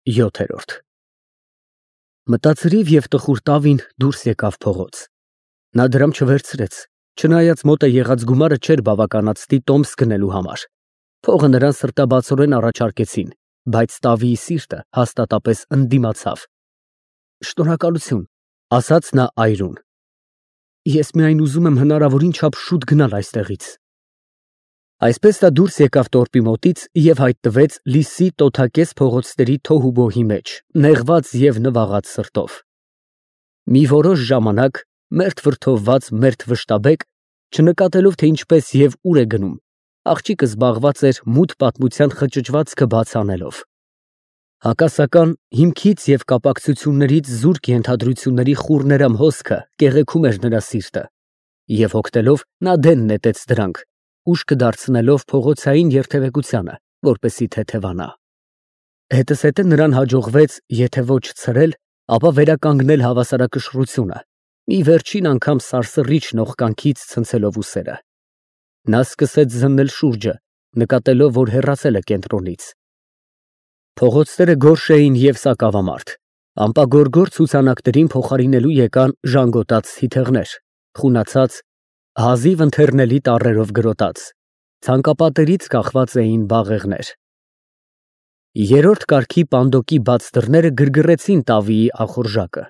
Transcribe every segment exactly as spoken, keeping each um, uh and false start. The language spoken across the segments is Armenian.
յոթ Մտածրիվ և տխուր տավին դուրս եկավ փողոց։ Նա դրամ չվերցրեց, չնայած մոտ է եղած գումարը չէր բավականացնի տոմս գնելու համար։ Փողը նրան սրտաբացորեն առաջարկեցին, բայց տավիի սիրտը հաստատապես ընդդիմացավ։ Շնորհակալություն, ասաց նա այրուն։ Ես միայն ուզում եմ հնարավորին չափ շուտ գնալ այստեղից։ Այսպես նա դուրս եկավ տորպի մոտից և հայտնվեց լիսի տոթակես փողոցների թոհուբոհի մեջ, նեղված և նվաղած սրտով։ Մի որոշ ժամանակ, մերթ վրդովված, մերթ վշտաբեկ, չնկատելով, թե ինչպես և ուր է գնում, աղջիկը զբաղված էր մութ պատմության խճճվածքը բաց անելով։ Հակասական հիմքից և կապակցություններից զուրկ ենթադրությունների խուռներամ հոսքը կեղեքում էր նրա սիրտը, և հոգնելով նա դեն նետեց դրանք, ուշքը դարձնելով փողոցային երթևեկությանը, որպեսզի թեթևանա։ Հետզհետե նրան հաջողվեց եթե ոչ ցրել, ապա վերականգնել հավասարակշռությունը, մի վերջին անգամ սարսռիչ նողկանքից ցնցելով ուսերը։ Նա սկսեց զննել շուրջը, նկատելով, որ հեռացել է կենտրոնից։ Փողոցները գորշ էին և սակավամարդ, ամպագորգոր ցուցանակներին փոխարինելու եկան ժանգոտած թիթեղներ, խունացած, հազիվ ընթեռնելի տառերով գրոտած, ցանկապատերից կախված էին բաղեղներ։ Երրորդ կարգի պանդոկի բաց դռները գրգռեցին տավիի ախորժակը։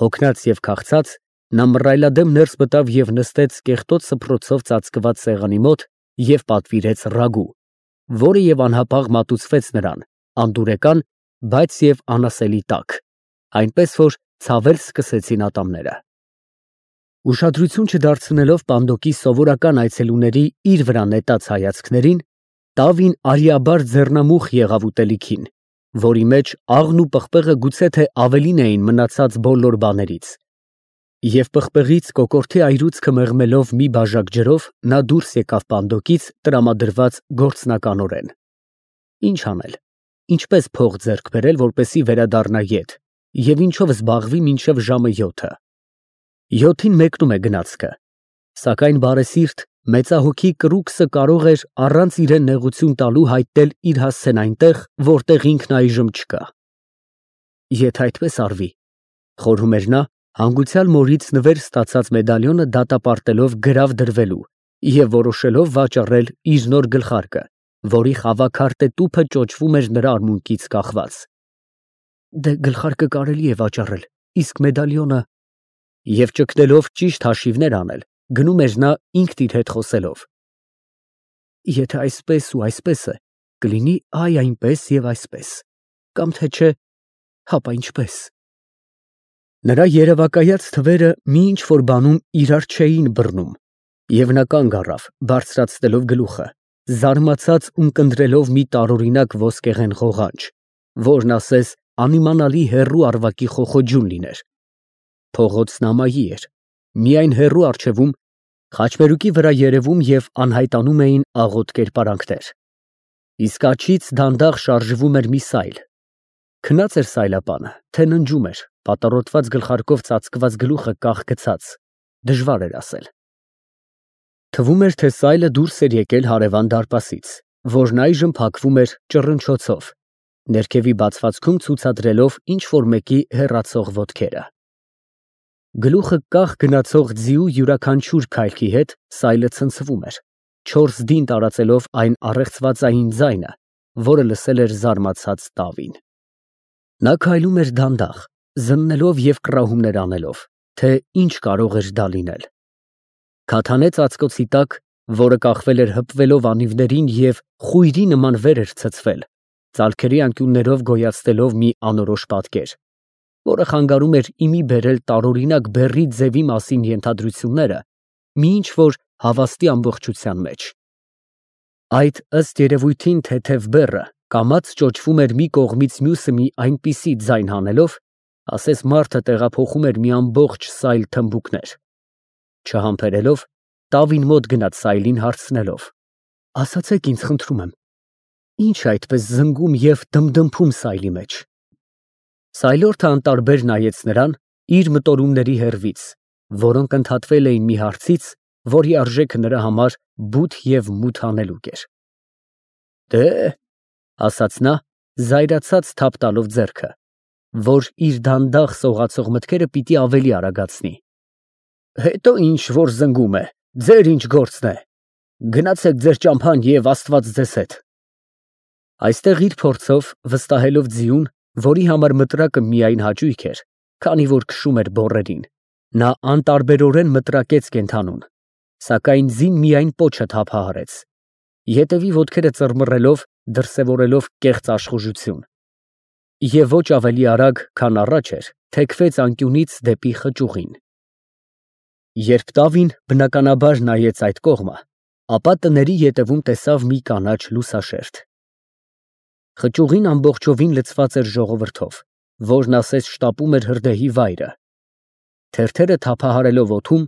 Հոգնած և քաղցած, նա մռայլադեմ ներս մտավ և նստեց կեղտոտ սփռոցով ծածկված սեղանի մոտ և պատվիրեց ռագու, որը և անհապաղ մատուցվեց նրան, անդուրեկան, բայց և անասելի տաք, այնպես որ ցավել սկսեցին ատամները։ Ուշադրություն չդարձնելով պանդոկի սովորական այցելուների իր վրա նետած հայացքներին, տավին արիաբար ձեռնամուխ եղավ ուտելիքին, որի մեջ աղն ու պղպեղը գուցե թե ավելին էին մնացած բոլոր բաներից, և պղպեղից կոկորդի այրուցքը մեղմելով մի բաժակ ջրով, նա դուրս եկավ պանդոկից տրամադրված գործնականորեն։ Ինչ անել, ինչպես փող ձեռք բերել, որպեսզի վերադառնա ետ, և ինչով զբաղվի մինչև ժամը յոթը։ Յոթին մեկնում է գնացքը, սակայն բարեսիրտ, մեծահոգի Կռուքսը կարող էր առանց իրան նեղություն տալու հայտնել իր հասցեն այնտեղ, որտեղ ինքն այժմ չկա։ Եթե այդպես արվի, խորհում էր նա, հանգուցյալ մորից նվեր ստացած մեդալիոնը դատապարտելով գրավ դրվելու և որոշելով վաճառել իր նոր գլխարկը, որի խավաքարտե տուփը ճոճվում էր նրա արմունկից կախված։ Դե գլխարկը կարելի է վաճառել, իսկ մեդալիոնը… Եվ ճգնելով ճիշտ հաշիվներ անել, գնում էր նա ինքն իր հետ խոսելով. Եթե այսպես ու այսպես է, կլինի այ այնպես և այսպես, կամ թե չէ, հապա ինչպես… Նրա երևակայած թվերը մի ինչ֊որ բանում իրար չէին բռնում, և նա կանգ առավ, բարձրացնելով գլուխը, զարմացած ունկնդրելով մի տարօրինակ ոսկեղեն ղողանջ, որն ասես անիմանալի հեռու ավագի խոխոջուն լիներ։ Փողոցն ամայի էր, միայն հեռու առջևում, խաչմերուկի վրա երևում և անհայտանում էին աղոտ կերպարանքներ, իսկ աջից դանդաղ շարժվում էր մի սայլ։ Քնած էր սայլապանը, թե ննջում էր, պատառոտված գլխարկով ծածկված գլուխը կախ գցած, դժվար էր ասել։ Թվում էր, թե սայլը դուրս էր եկել հարևան դարպասից, որն այժմ փակվում էր ճռնչոցով, ներքևի բացվածքում ցուցադրելով ինչ֊որ մեկի հեռացող ոտքերը։ Գլուխը կախ գնացող ձիու յուրաքանչյուր քայլքի հետ սայլը ցնցվում էր, չորս դին տարածելով այն առեղծվածային ձայնը, որը լսել էր զարմացած տավին։ Նա քայլում էր դանդաղ, զննելով և կռահումներ անելով, թե ինչ կարող էր դա լինել։ Քաթանե ծածկոցի տակ, որը կախվել էր հպվելով անիվներին և խույրի նման վեր էր ցցվել, ծալքերի անկյուններով գոյացնելով մի անորոշ պատկեր, որը խանգարում էր իմի բերել տարօրինակ բեռի ձևի մասին ենթադրությունները մի ինչ֊որ հավաստի ամբողջության մեջ։ Այդ, ըստ երևույթին, թեթև բեռը կամաց ճոճվում էր մի կողմից մյուսը մի այնպիսի ձայն հանելով, ասես մարդը տեղափոխում էր մի ամբողջ սայլ թմբուկներ։ Չհամբերելով, տավին մոտ գնաց սայլին, հարցնելով. «Ասացեք ինձ, խնդրում եմ, ի՞նչ է այդպես զնգում և դմդմփում սայլի մեջ»։ Սայլորդը անտարբեր նայեց նրան իր մտորումների հեռվից, որոնք ընդհատվել էին մի հարցից, որի արժեքը նրա համար բութ և մութ հանելուկ էր։ Դե… ֊ ասաց նա զայրացած թափ տալով ձեռքը, որ իր դանդաղ սողացող մտքերը պիտի ավելի արագացնի։ Հետո ինչ որ զնգում է, ձեր ինչ գործն է։ Գնացեք ձեր ճամփան եւ Աստված ձեզ հետ։ Այստեղ իր փորձով վստահելով ձիուն, որի համար մտրակը միայն հաճույք էր, քանի որ քշում էր բոռերին, նա անտարբերորեն մտրակեց կենդանուն, սակայն ձին միայն պոչը թափահարեց, ետևի ոտքերը ծռմռելով, դրսևորելով կեղծ աշխուժություն, եւ ոչ ավելի արագ, քան առաջ էր, թեքվեց անկյունից դեպի խճուղին։ Երբ Տավին բնականաբար նայեց այդ կողմը, ապա տների ետևում տեսավ մի կանաչ լուսաշերտ։ Խճուղին ամբողջովին լցված էր ժողովրդով, որն ասես շտապում էր հրդեհի վայրը։ Թերթերը թափահարելով օդում,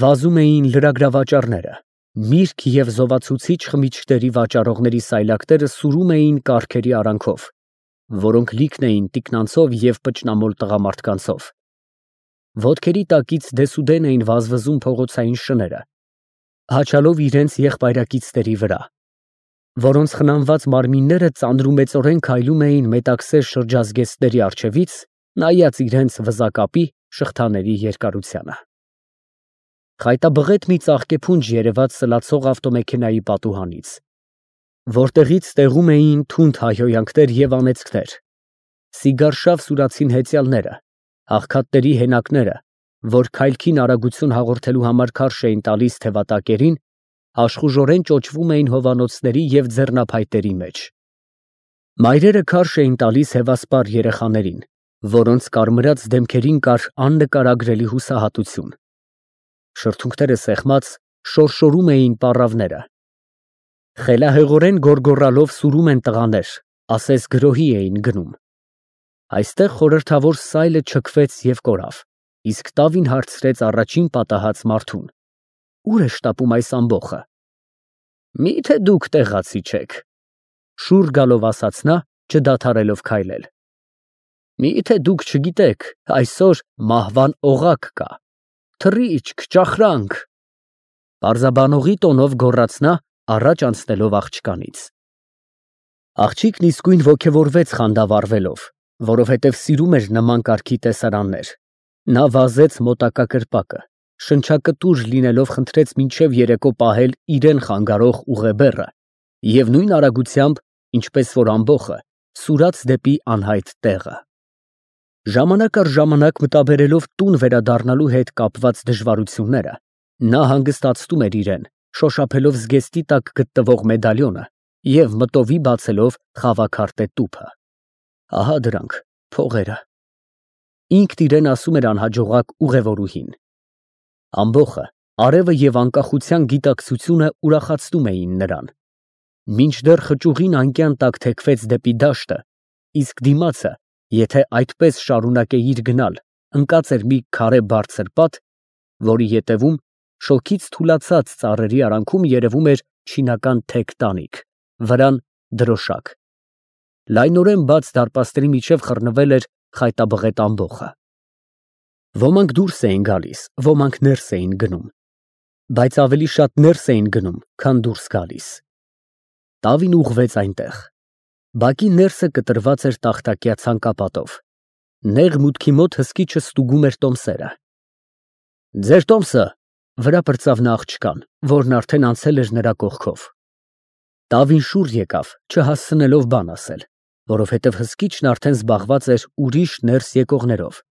վազում էին լրագրավաճառները, միրգ և զովացուցիչ խմիչքների վաճառողների սայլակները սուրում էին կառքերի արանքով, որոնք լիքն էին տիկնանցով և պճնամոլ տղամարդկանցով։ Ոտքերի տակից դեսուդեն էին վազվզում փողոցային շները, հաչալով իրենց եղբայրակիցների վրա, որոնց խնամված մարմինները ծանրումեծորեն քայլում էին մետաքսե շրջազգեստների առջևից, նայած իրենց վզակապի շղթաների երկարությանը։ Խայտաբղետ մի ծաղկեփունջ երևաց սլացող ավտոմեքենայի պատուհանից, որտեղից տեղում էին թունդ հայհոյանքներ և անեծքներ, սիգարշավ սուրացին հեծյալները, աղքատների հենակները, որ քայլքին արագություն հաղորդելու համար քարշ էին տալիս թևատակերին, աշխուժորեն ճոճվում էին հովանոցների և ձեռնափայտերի մեջ։ Մայրերը քարշ էին տալիս հևասպար երեխաներին, որոնց կարմրած դեմքերին կար աննկարագրելի հուսահատություն։ Շրթունքները սեղմած, շորշորում էին պառավները։ Խելահեղորեն գոռգոռալով սուրում են տղաներ, ասես գրոհի էին գնում։ Այստեղ խորհրդավոր սայլը չքվեց և կորավ, իսկ Տավին հարցրեց առաջին պատահած մարդուն. Ո՞ւր է շտապում այս ամբոխը։ Մի՞թե դուք տեղացի չեք, շուռ գալով ասաց նա, չդադարելով քայլել։ Մի՞թե դուք չգիտեք, այսօր մահվան օղակ կա, թռիչք, ճախրանք։ Պարզաբանողի տոնով գոռաց նա, առաջ անցնելով աղջկանից։ Աղջիկն իսկույն ոգևորվեց խանդավառվելով, որովհետև սիրում էր նման կարգի տեսարաններ։ Նա վազեց մոտակա կրպակը, շնչակտուր լինելով խնդրեց մինչև երեկո պահել իրեն խանգարող ուղեբեռը և նույն արագությամբ, ինչպես որ ամբոխը, սուրաց դեպի անհայտ տեղը։ Ժամանակ առ ժամանակ մտաբերելով տուն վերադառնալու հետ կապված դժվարությունները, նա հանգստացնում էր իրեն, շոշափելով զգեստի տակ գտնվող մեդալյոնը և մտովի բացելով խավաքարտե տուփը։ Ահա դրանք, փողերը։ Ինքն իրեն ասում էր անհաջողակ ուղևորուհին։ Ամբոխը, արևը և անկախության գիտակցությունը ուրախացնում էին նրան։ Մինչդեռ խճուղին անկյան տակ թեքվեց դեպի դաշտը, իսկ դիմացը, եթե այդպես շարունակեիր գնալ, ընկած էր մի քարե բարձր պատ, որի ետևում, շոգից թուլացած ծառերի արանքում երևում էր չինական թեք տանիք, վրան դրոշակ։ Լայնորեն բաց դարպասների միջև խռնվել էր խայտաբղետ ամբոխը։ Ոմանք դուրս էին գալիս, ոմանք ներս էին գնում, բայց ավելի շատ ներս էին գնում, քան դուրս գալիս։ Տավին ուղղվեց այնտեղ։ Բակի ներսը կտրված էր տախտակյա ցանկապատով։ Նեղ մուտքի մոտ հսկիչը ստուգում էր տոմսերը։ Ձեր տոմսը, վրա պրծավ նա աղջկան, որն արդեն անցել էր նրա կողքով։ Տավին շուռ եկավ, չհասցնելով բան ասել, որովհետև հսկիչն արդեն զբաղված էր ուրիշ ներս եկողներով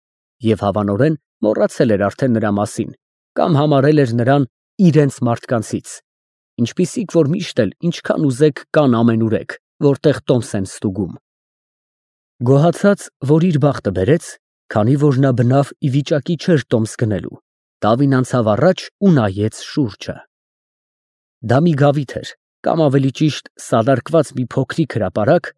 և հավանորեն մոռացել էր արդեն նրա մասին կամ համարել էր նրան իրենց մարդկանցից, ինչպիսիք որ միշտ էլ ինչքան ուզեք կան ամենուրեք, որտեղ տոմս են ստուգում։ Գոհացած, որ իր բախտը բերեց, քանի որ նա բնավ ի վիճակի չէր տոմս գնելու, Տավին անցավ առաջ ու նայեց շուրջը։ Դա մի գավիթ էր, կամ ավելի ճիշտ սալարկված մի փոքրիկ հրապարակ,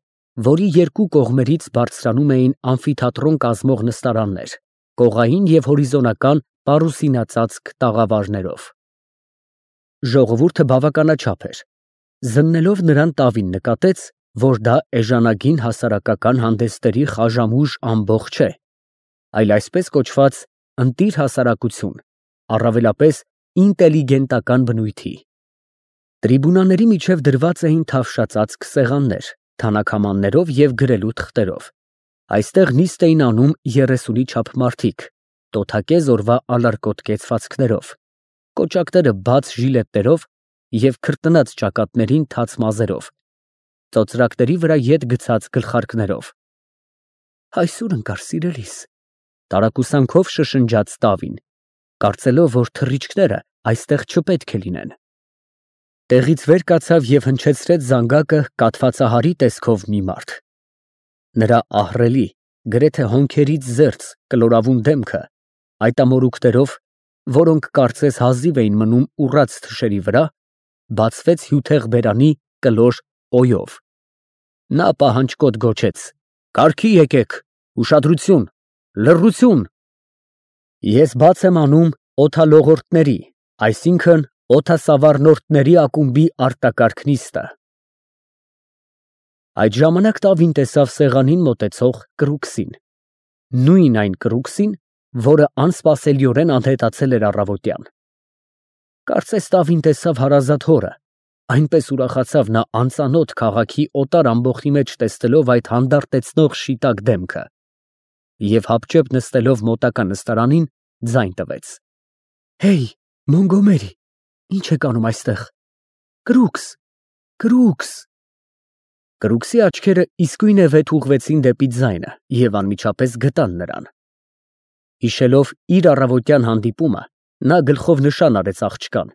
որի երկու կողմերից բարձրանում էին ամֆիթատրոն կազմող նստարաններ, կողային և հորիզոնական պարուսինածածկ տաղավարներով։ Ժողովուրդը բավականաչափ էր։ Զննելով նրան Տավին նկատեց, որ դա էժանագին հասարակական հանդեսների խաժամուժ ամբոխ չէ, այլ այսպես կոչված ընտիր հասարակություն, առավելապես ինտելիգենտական բնույթի։ Տրիբունաների միջև դրված էին թավշածածկ սեղաններ, թանաքամաններով և գրելու թղթերով։ Այստեղ նիստ էին անում երեսունի չափ մարդիկ, տոթակե զորվա ալարկոտ կեցվածքներով, կոճակները բաց ժիլետներով և քրտնած ճակատներին թաց մազերով, ծոծրակների վրա ետ գցած գլխարկներով։ Այսօր ընկար, սիրելիս, տարակուսանքով շշնջաց Տավին, կարծելով, որ թռիչքները այստեղ չպետք է լինեն։ Տեղից վեր կացավ և հնչեցրեց զանգակը կաթվածահարի տեսքով մի մարդ։ Նրա ահռելի, գրեթե հոնքերից զերծ կլորավուն դեմքը այդ ամորուքներով, որոնք կարծես հազիվ էին մնում ուռած թշերի վրա, բացվեց հյութեղ բերանի կլոր օյով։ Նա պահանջկոտ գոչեց. «Կարգի եկեք, ուշադրություն, լռություն»։ Ես բաց եմ անում օդալողորդների, այսինքն օդասավառնորդների ակումբի արտակարգ նիստը։ Այդ ժամանակ Տավին տեսավ սեղանին մոտեցող Կրուքսին, նույն այն Կրուքսին, որը անսպասելիորեն անհետացել էր առավոտյան։ Կարծես Տավին տեսավ հարազատ հորը, այնպես ուրախացավ նա անծանոթ քաղաքի օտար ամբոխի մեջ տեսնելով այդ հանդարտեցնող շիտակ դեմքը, և հապճեպ նստելով մոտակա նստարանին, ձայն տվեց. «Հեյ, Մոնգոմերի, ի՞նչ եք անում այստեղ։ Կրուքս, Կրուքս»։ Կրուքսի աչքերը իսկույնևեթ ուղղվեցին դեպի ձայնը և անմիջապես գտան նրան։ Հիշելով իր առավոտյան հանդիպումը, նա գլխով նշան արեց աղջկան,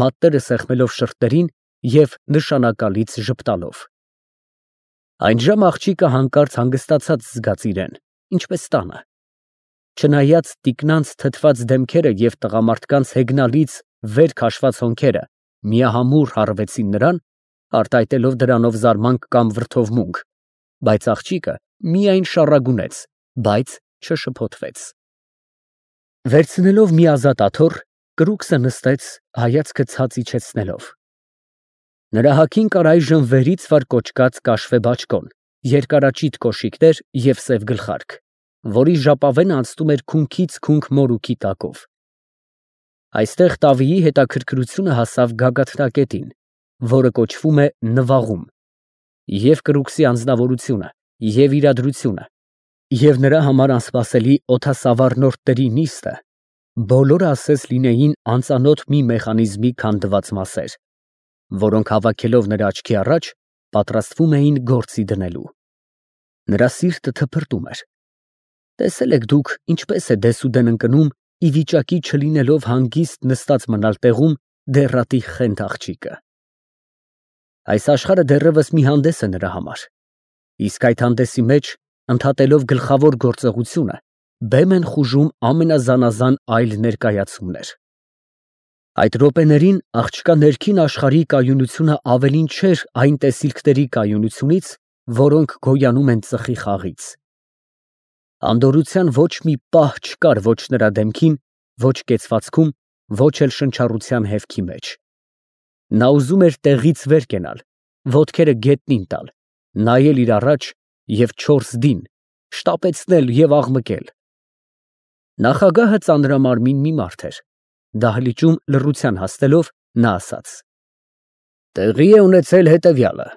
մատները սեղմելով շրթերին և նշանակալից ժպտալով։ Այնժամ աղջիկը հանկարծ հանգստացած զգաց իրեն, ինչպես տանը։ Չնայած տիկնանց թթված դեմքերը և տղամարդկանց հեգնալից վեր քաշված հոնքերը միահամուռ հառվեցին նրան, արտահայտելով դրանով զարմանք կամ վրդովմունք, բայց աղջիկը միայն շառագունեց, բայց չշփոթվեց։ Վերցնելով մի ազատ աթոռ, Կրուքսը նստեց, հայացքը ցած իջեցնելով։ Նրա հագին կար այժմ վերից վար կոճկած կաշվե բաճկոն, երկարաճիտ կոշիկներ և սև գլխարկ, որի ժապավենը անցնում էր քունքից քունք մորուքի տակով։ Այստեղ Տավիի հետաքրքրությունը հասավ գագաթնակետին, որը կոչվում է նվաղում, և Կրուքսի անձնավորությունը, և իրադրությունը, և նրա համար անսպասելի օդասավառնորդների նիստը բոլորը ասես լինեին անծանոթ մի մեխանիզմի քանդված մասեր, որոնք հավաքելով նրա աչքի առաջ, պատրաստվում էին գործի դնելու։ Նրա սիրտը թփրտում էր։ Տեսել եք դուք, ինչպես է դեսուդեն ընկնում, ի վիճակի չլինելով հանգիստ նստած մնալ տեղում, դեռատի խենթ աղջիկը։ Այս աշխարհը դեռևս մի հանդես է նրա համար, իսկ այդ հանդեսի մեջ, ընդհատելով գլխավոր գործողությունը, բեմ են խուժում ամենազանազան այլ ներկայացումներ։ Այդ րոպեներին աղջկա ներքին աշխարհի կայունությունը ավելին չէր այն տեսիլքների կայունությունից, որոնք գոյանում են ծխի խաղից։ Անդորրության ոչ մի պահ չկար ոչ նրա դեմքին, ոչ կեցվածքում, ոչ էլ շնչառության հևքի մեջ։ Նա ուզում էր տեղից վեր կենալ, ոտքերը գետնին տալ, նայել իր առաջ և չորս դին շտապեցնել և աղմկել։ Նախագահը ծանրամարմին մի մարդ էր։ Դահլիճում լռության հասնելով, նա ասաց. «Տեղի է ունեցել հետևյալը.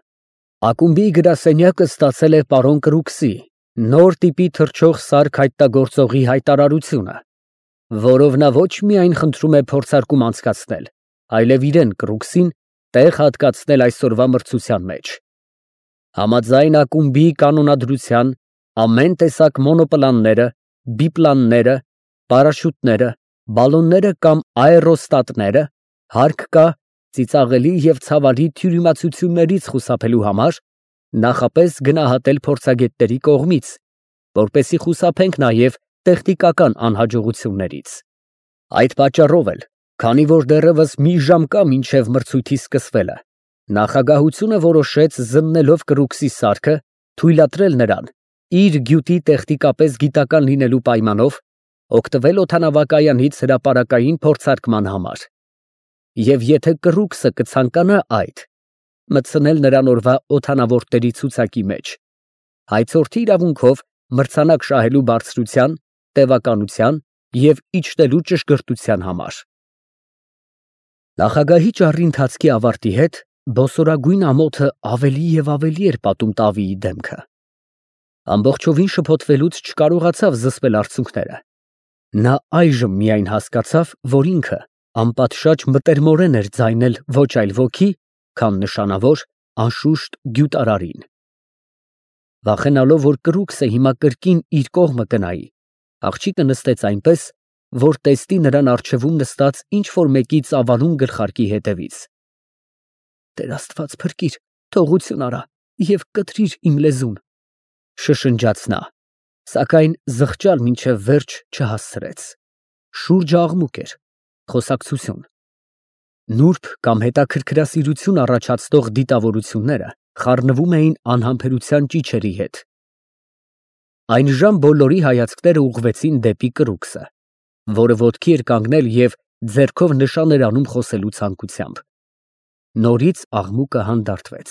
ակումբի գրասենյակը ստացել է պարոն Կրուքսի նոր տիպի թռչող սարք հայտնագործողի հայտարարությունը, որով նա ոչ միայն խնդրում է փորձարկում անցկացնել, այլև իրեն Կրուքսին տեղ հատկացնել այսօրվա մրցության մեջ։ Համաձայն ակումբի կանոնադրության ամեն տեսակ մոնոպլանները, բիպլանները, պարաշուտները, բալոնները կամ աերոստատները հարկ կա ծիծաղելի և ցավալի թյուրիմացություններից խուսափելու համար նախապես գնահատել փորձագետների կողմից, որպեսզի խուսափենք նաև տեխնիկական անհաջողություններից։ Այդ պատճառով էլ, քանի որ դեռևս մի ժամ կա մինչև մրցույթի սկսվելը, նախագահությունը որոշեց զննելով Կրուքսի սարքը, թույլատրել նրան, իր գյուտի տեխնիկապես գիտական լինելու պայմանով, օգտվել օդանավակայանից հրապարակային փորձարկման համար։ Եվ եթե Կրուքսը կցանկանա այդ, մտցնել նրան օրվա օդանավորդների ցուցակի մեջ, հայցորդի իրավունքով մրցանակ շահելու բարձրության, տևականության և իջնելու ճշգրտության համար։ Նախագահի ճառի ընթացքի ավարտի հետ բոսորագույն ամոթը ավելի և ավելի էր պատում տավիի դեմքը։ Ամբողջովին շփոթվելուց չկարողացավ զսպել արցունքները։ Նա այժմ միայն հասկացավ, որ ինքը անպատշաճ մտերմորեն էր ձայնել ոչ այլ ոքի, քան նշանավոր, անշուշտ գյուտարարին։ Վախենալով, որ կրուկսը հիմա կրկին իր կողմը կնայի, աղջիկը նստեց այնպես, որ տեսնի նրան առջևում նստած ինչ֊որ մեկի ծավալուն գլխարկի հետևից։ «Տեր Աստված փրկիր, թողություն արա և կտրիր իմ լեզուն», շշնջաց նա, սակայն զղջալ մինչև վերջ չհասցրեց։ Շուրջը աղմուկ էր, խոսակցություն։ Նուրբ կամ հետաքրքրասիրություն առաջացնող դիտավորությունները խառնվում էին անհամբերության ճիչերի հետ։ Այնժամ բոլորի հայացքները ուղղվեցին դեպի կրուկսը, որը ոտքի էր կանգնել և ձեռքով նշան էր անում խոսելու ցանկությամբ։ Նորից աղմուկը հանդարտվեց։